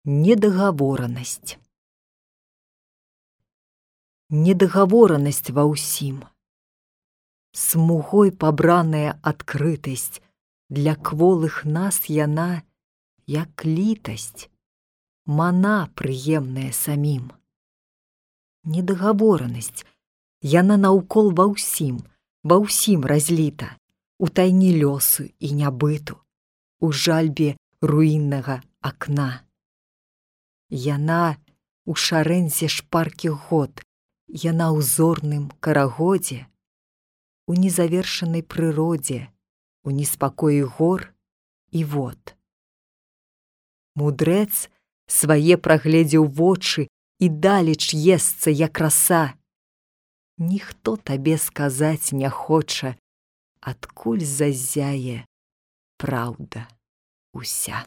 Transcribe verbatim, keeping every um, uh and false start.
Недагаворанасць. Недагаворанасць ва ўсім. Смугой пабраная адкрытасць, для кволых нас яна, як літасць, мана прыемная самім. Недагаворанасць, яна наўкол ва ўсім, ва ўсім разліта, у тайні лёсу і нябыту, у жальбе руіннага акна. Яна у шарэнзе шпаркіх год, яна ў зорным карагодзе, у незавершанай прыродзе, у неспакоі гор і вод. Мудрэц свае прагледзеў вочы і далеч есца, як раса. Ніхто табе сказаць не хоча, адкуль зазяе праўда уся.